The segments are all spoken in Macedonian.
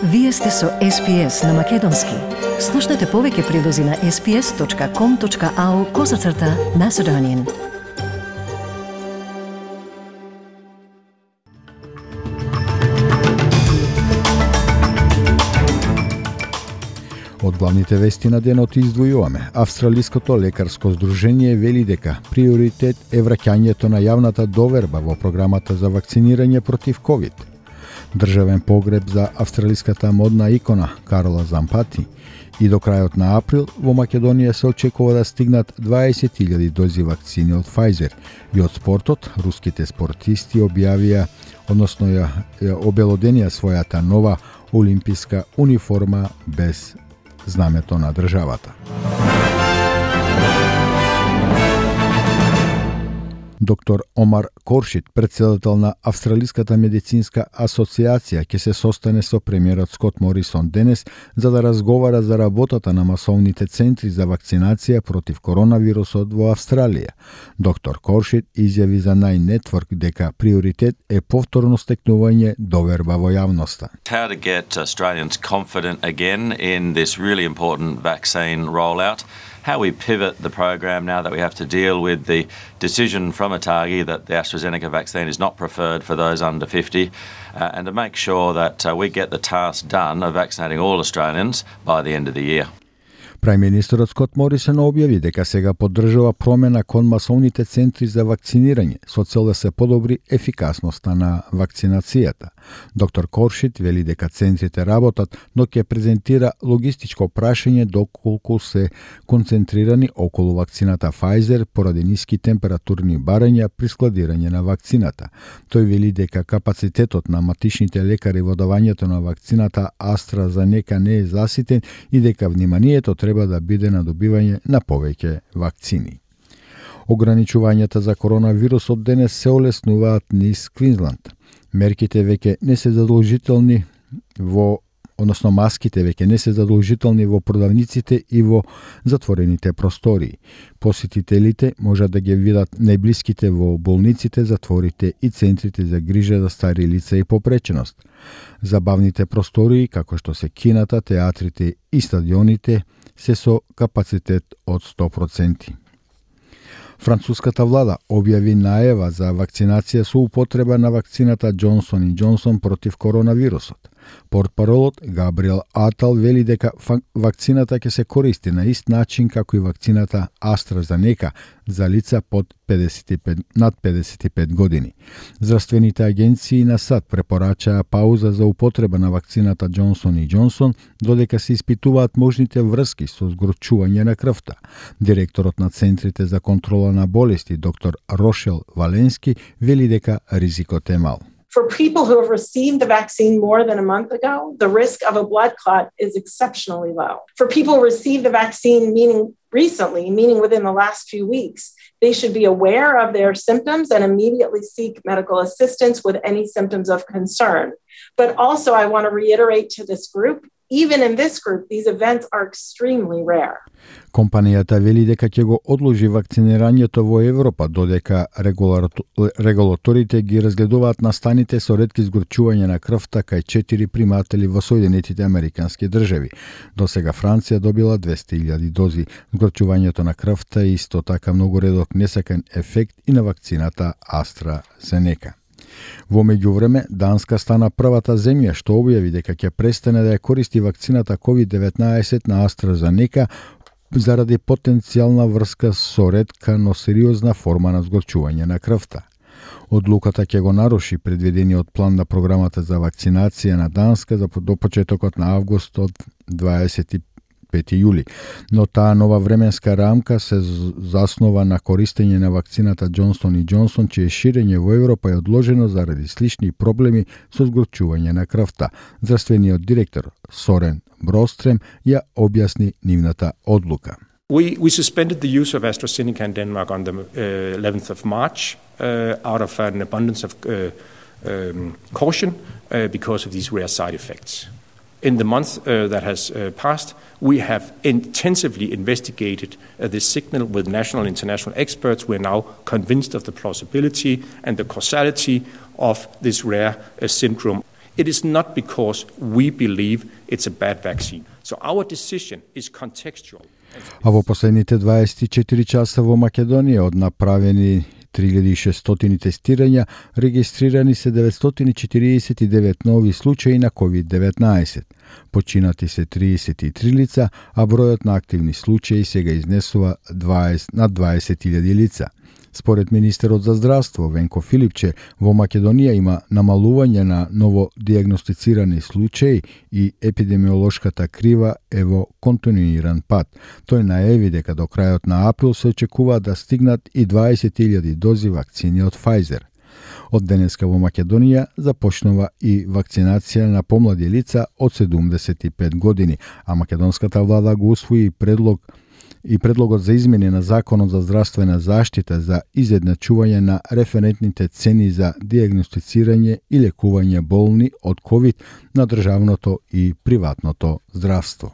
Вие сте со SPS на Македонски. Слушнете повеќе прилози на sps.com.au/Macedonian. Од главните вести на денот издвојуваме. Австралиското лекарско здружение вели дека приоритет е враќањето на јавната доверба во програмата за вакцинирање против ковид. Државен погреб за австралиската модна икона Карла Зампати и до крајот на април во Македонија се очекува да стигнат 20.000 дози вакцини од Pfizer. И од спортот, руските спортисти објавија обелоденија својата нова олимписка униформа без знамето на државата. Доктор Омар Коршит, председател на Австралиската медицинска асоциација, ќе се состане со премиерот Скот Морисон денес за да разговара за работата на масовните центри за вакцинација против коронавирусот во Австралија. Доктор Коршит изјави за Nine Network дека приоритет е повторно стекнување доверба во јавноста. How to get Australians confident again in this really important vaccine rollout. How we pivot the program now that we have to deal with the decision from ATAGI that the AstraZeneca vaccine is not preferred for those under 50, and to make sure that we get the task done of vaccinating all Australians by the end of the year. Прајм-министерот Скот Морисон објави дека сега поддржува промена кон масовните центри за вакцинирање со цел да се подобри ефикасноста на вакцинацијата. Доктор Коршит вели дека центрите работат, но ќе презентира логистичко прашање доколку се концентрирани околу вакцината Pfizer поради ниски температурни барања при складирање на вакцината. Тој вели дека капацитетот на матичните лекари во давањето на вакцината AstraZeneca не е заситен и дека вниманието треба да биде на добивање на повеќе вакцини. Ограничувањата за коронавирусот денес се олеснуваат низ Квинсланд. Мерките веќе не се задолжителни маските веќе не се задолжителни во продавниците и во затворените простории. Посетителите можат да ги видат најблиските во болниците, затворите и центрите за грижа за стари лица и попреченост. Забавните простории, како што се кината, театрите и стадионите, се со капацитет од 100%. Француската влада објави најава за вакцинација со употреба на вакцината Johnson & Johnson против коронавирусот. Портпаролот Габриел Атал вели дека вакцината ќе се користи на ист начин како и вакцината AstraZeneca за лица над 55 години. Здравствените агенции на САД препорачаа пауза за употреба на вакцината Johnson & Johnson додека се испитуваат можните врски со згорчување на крвта. Директорот на Центрите за контрола на болести доктор Рошел Валенски вели дека ризикот е мал. For people who have received the vaccine more than a month ago, the risk of a blood clot is exceptionally low. For people who received the vaccine meaning within the last few weeks, they should be aware of their symptoms and immediately seek medical assistance with any symptoms of concern. But also I want to reiterate to this group, even in this group, these events are extremely rare. Компанијата вели дека ќе го одложи вакцинирањето во Европа додека регулаторите ги разгледуваат настаните со ретки згорчување на крвта кај 4 приматели во Соединетите Американски држави. До сега Франција добила 200.000 дози. Згорчувањето на крвта и исто така многу редок несакан ефект и на вакцината AstraZeneca. Во меѓувреме, Данска стана првата земја што објави дека ќе престане да ја користи вакцината COVID-19 на AstraZeneca заради потенцијална врска со ретка, но сериозна форма на згорчување на крвта. Одлуката ќе го наруши предвидениот план на програмата за вакцинација на Данска до почетокот на август од 25 јули, но таа нова временска рамка се заснова на користење на вакцината Johnson & Johnson, чие ширење во Европа е одложено заради слични проблеми со згорчување на крвта. Здравствениот директор Сорен Брострем ја објасни нивната одлука. We suspended the use of AstraZeneca in Denmark on the 11th of March out of an abundance of caution because of these rare side effects. In the month that has passed, we have intensively investigated this signal with national and international experts. We are now convinced of the plausibility and the causality of this rare syndrome. It is not because we believe it's a bad vaccine. So our decision is contextual. А во последните 24 часа во Македонија од направени 3600 тестирања, регистрирани се 949 нови случаи на COVID-19. Починати се 33 лица, а бројот на активни случаи сега изнесува над 20.000 лица. Според министерот за здравство Венко Филипче, во Македонија има намалување на новодиагностицирани случаи и епидемиолошката крива е во континуиран пат. Тој најави дека до крајот на април се очекува да стигнат и 20.000 дози вакцини од Pfizer. Од денеска во Македонија започнува и вакцинација на помлади лица од 75 години, а македонската влада го усвои предлогот за измени на Законот за здравствена заштита за изедначување на референтните цени за диагностицирање и лекување болни од COVID на државното и приватното здравство.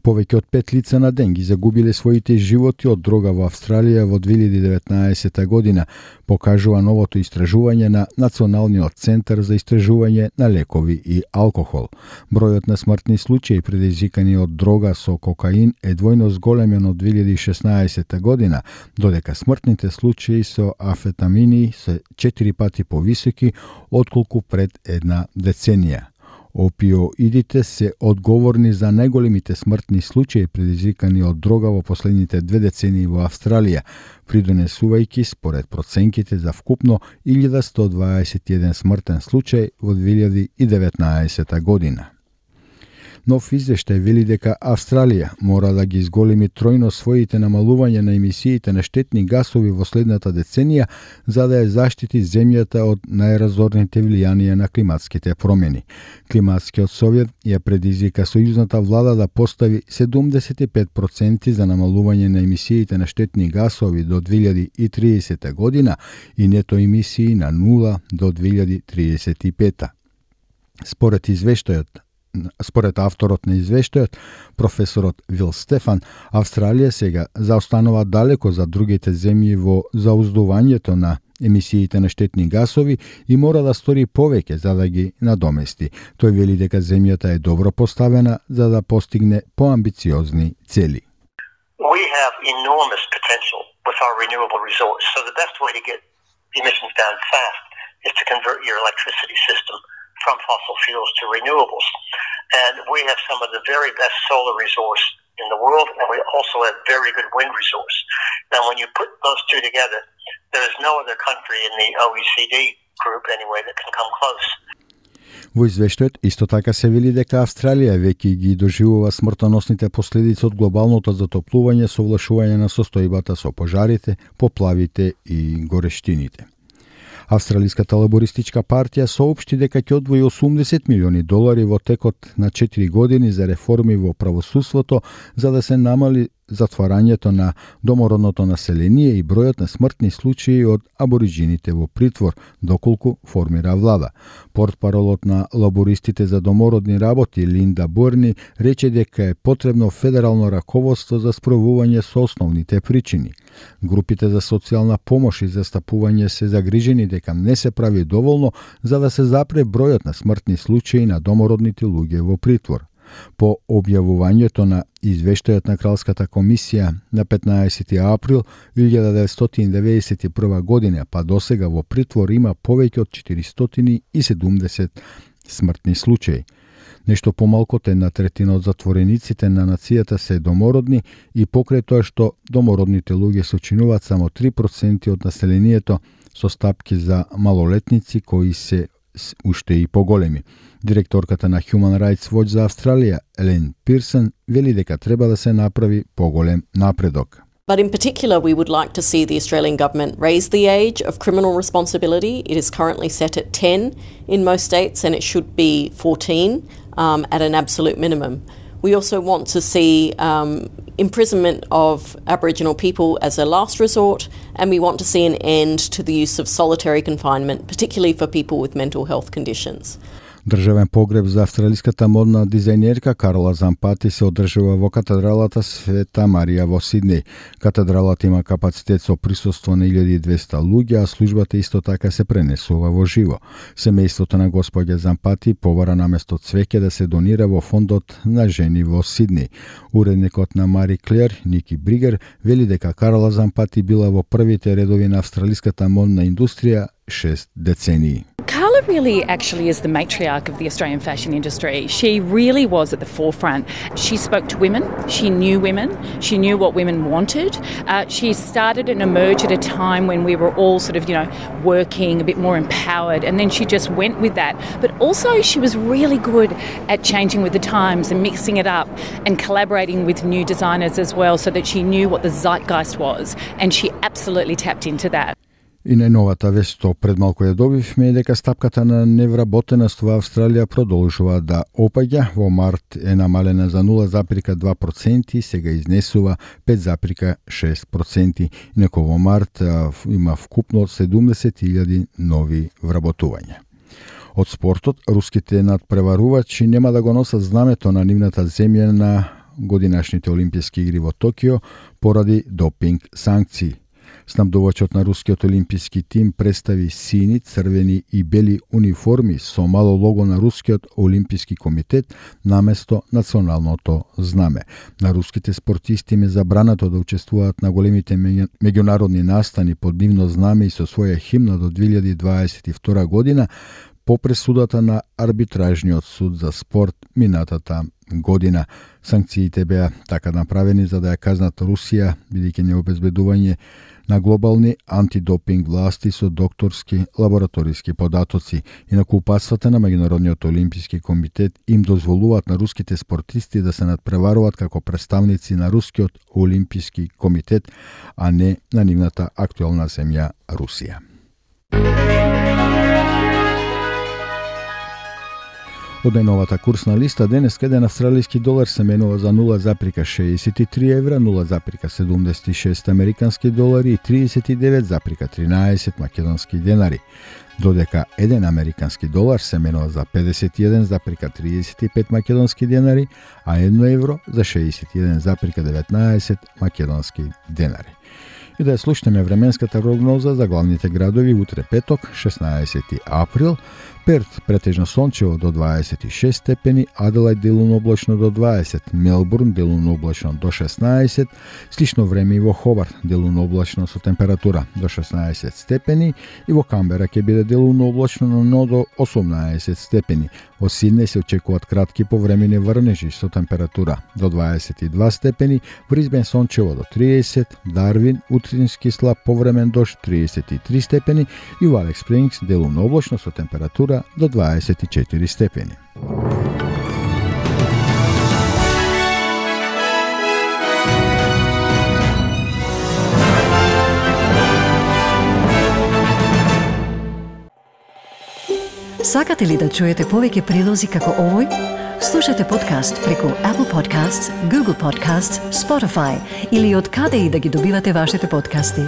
Повеќе од 5 лица на ден ги загубиле своите животи од дрога во Австралија во 2019 година, покажува новото истражување на Националниот центар за истражување на лекови и алкохол. Бројот на смртни случаи предизвикани од дрога со кокаин е двојно зголемен од 2016 година, додека смртните случаи со амфетамини се 4 пати повисоки отколку пред една деценија. Опиоидите се одговорни за најголемите смртни случаи предизвикани од дрога во последните 2 децении во Австралија, придонесувајќи според проценките за вкупно 1121 смртен случај во 2019 година. Нов извештај вели дека Австралија мора да ги изголеми тројно своите намалувања на емисиите на штетни гасови во следната деценија за да ја заштити земјата од најразорните влијанија на климатските промени. Климатскиот совет ја предизвика сојузната влада да постави 75% за намалување на емисиите на штетни гасови до 2030 година и нето емисии на 0 до 2035. Според авторот на извештајот, професорот Вил Стефан, Австралија сега заостанува далеко за другите земји во зауздувањето на емисиите на штетни гасови и мора да стори повеќе за да ги надомести. Тој вели дека земјата е добро поставена за да постигне поамбициозни цели. We have enormous potential with our renewable resource. So the best way to get emissions down fast is to convert your electricity system from fossil fuels to renewables. And we have some of the very best solar resource in the world, and we also have very good wind resource. Now, when you put those two together, there is no other country in the OECD group, anyway, that can come close. Во извештајот исто така се вели дека Австралија веќе ги доживува смртоносните последици од глобалното затоплување со влошување на состојбата со пожарите, поплавите и горештините. Австралиската лабористичка партија соопшти дека ќе одвои $80 милиони во текот на 4 години за реформи во правосудството за да се намали затварањето на домородното население и бројот на смртни случаи од абориджините во притвор, доколку формира влада. Портпаролот на лабористите за домородни работи Линда Бурни рече дека е потребно федерално раководство за справување со основните причини. Групите за социјална помош и застапување се загрижени дека не се прави доволно за да се запре бројот на смртни случаи на домородните луѓе во притвор. По објавувањето на извештајот на Кралската комисија на 15 април 1991 година, па досега во притвор има повеќе од 470 смртни случаи. Нешто помалку од 1/3 од затворениците на нацијата се домородни и покрај тоа што домородните луѓе сочинуваат само 3% од населението со стапки за малолетници кои се уште и поголеми. Директорката на Human Rights Watch за Австралија, Елен Пирсон, вели дека треба да се направи поголем напредок. But in particular, we would like to see the Australian government raise the age of criminal responsibility. It is currently set at 10 in most states, and it should be 14 at an absolute minimum. We also want to see imprisonment of Aboriginal people as a last resort, and we want to see an end to the use of solitary confinement, particularly for people with mental health conditions. Државен погреб за австралиската модна дизајнерка Карла Зампати се одржува во катедралата Света Марија во Сиднеј. Катедралата има капацитет со присуство на 1200 луѓе, а службата исто така се пренесува во живо. Семејството на господја Зампати побара наместо цвеќе да се донира во фондот на жени во Сиднеј. Уредникот на Мари Клер, Ники Бригер, вели дека Карла Зампати била во првите редови на австралиската модна индустрија 6 децении. Carla really actually is the matriarch of the Australian fashion industry. She really was at the forefront. She spoke to women, she knew what women wanted. She started and emerged at a time when we were all sort of, working a bit more empowered, and then she just went with that. But also she was really good at changing with the times and mixing it up and collaborating with new designers as well, so that she knew what the zeitgeist was, and she absolutely tapped into that. И најновата вест што пред малку ја добивме е дека стапката на невработеност во Австралија продолжува да опаѓа. Во март е намалена за 0,2% и сега изнесува 5,6%. Инаку во март има вкупно 70,000 нови вработувања. Од спортот, руските надпреварувачи нема да го носат знамето на нивната земја на годинашните Олимписки игри во Токио поради допинг санкции. Снабдувачот на рускиот олимписки тим представи сини, црвени и бели униформи со мало лого на рускиот олимписки комитет наместо националното знаме. На руските спортисти им е забрането да учествуваат на големите меѓународни настани под нивно знаме и со своја химна до 2022 година по пресудата на арбитражниот суд за спорт минатата година. Санкциите беа така направени за да ја казнат Русија, бидејќи необезбедување на глобални антидопинг власти со докторски лабораториски податоци. Инаку упатствата на Меѓународниот олимписки комитет им дозволуваат на руските спортисти да се надпреваруваат како представници на рускиот олимписки комитет, а не на нивната актуелна земја Русија. Од најновата курсна листа, денес еден австралиски долар се менува за 0,63 евра, 0,76 американски долари и 39,13 македонски денари. Додека еден американски долар се менува за 51,35 македонски денари, а 1 евро за 61,19 македонски денари. И да ја слушнеме временската прогноза за главните градови утре петок, 16 април. Перт претежно сончево до 26 степени, Аделајд делумно облачно до 20, Мелбурн делумно облачно до 16, слично време и во Хобарт делумно облачно со температура до 16 степени и во Камбера ќе биде делумно облачно, но до 18 степени. Во Сиднеј се очекуваат кратки повремени врнежи со температура до 22 степени, Брисбен сончево до 30, Дарвин утрински слаб повремен дожд 33 степени и во Алекс Спрингс делумно облачно со температура до 24 степени. Сакате ли да чуете повеќе прилози како овој? Слушате подкаст преку Apple Podcasts, Google Podcasts, Spotify или од каде и да ги добивате вашите подкасти.